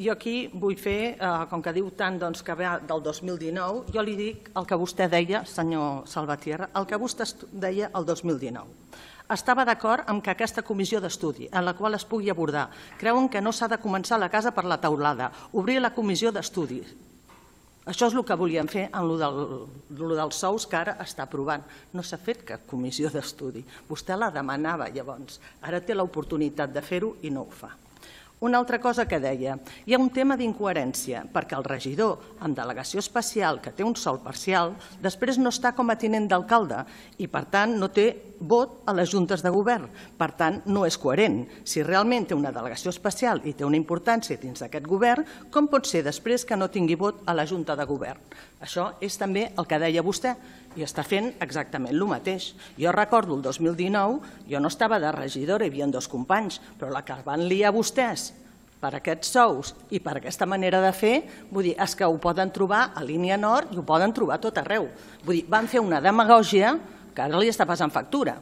Jo aquí vull fer, com que diu tant que ve del 2019, jo li dic el que vostè deia, senyor Salvatierra, el que vostè deia el 2019. Estava d'acord amb que aquesta comissió d'estudi, en la qual es pugui abordar, creuen que no s'ha de començar la casa per la teulada, obrir la comissió d'estudi. Això és el que volíem fer amb el dels sous que ara està aprovant. No s'ha fet cap comissió d'estudi. Vostè la demanava llavors. Ara té l'oportunitat de fer-ho i no ho fa. Una altra cosa que deia, hi ha un tema d'incoherència, perquè el regidor amb delegació especial que té un sou parcial després no està com a tinent d'alcalde i, per tant, no té vot a les juntes de govern. Per tant, no és coherent. Si realment té una delegació especial i té una importància dins d'aquest govern, com pot ser després que no tingui vot a la junta de govern? Això és també el que deia vostè i està fent exactament el mateix. Jo recordo el 2019, jo no estava de regidora, hi havia dos companys, però la que van liar vostès per aquests sous i per aquesta manera de fer, vull dir, és que ho poden trobar a Línia Nord i ho poden trobar a tot arreu. Vull dir, van fer una demagògia que ara li està passant factura.